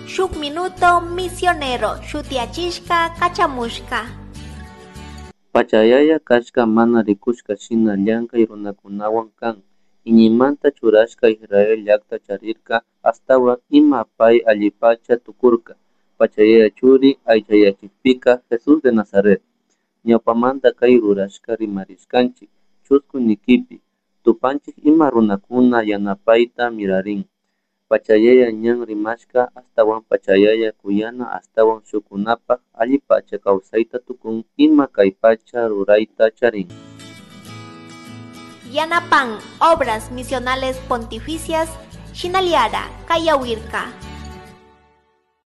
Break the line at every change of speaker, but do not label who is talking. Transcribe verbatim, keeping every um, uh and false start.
Shuk Minuto Misionero shutiyachishka kachamushka.
Pachayaya kashka mana rikushka shina llankay runakunawan kan iñiymanta churashka Israel llakta charirka ashtawan ima pay allipacha tukurka Pachayaya churi aychayachikpika Jesús de Nazaret. Ñawpamanta kay rurashka rimarishkanchik chusku nikipi tupanchik ima runakuna yanapayta mirarin. Pachayaya ñan rimashka ashtawan pachayaya kuyana ashtawan shukunapak allipacha kawsayta tukun ima kay pacha rurayta charin.
Yanapan Obras Misionales Pontificias Shinaliara Kayawirka.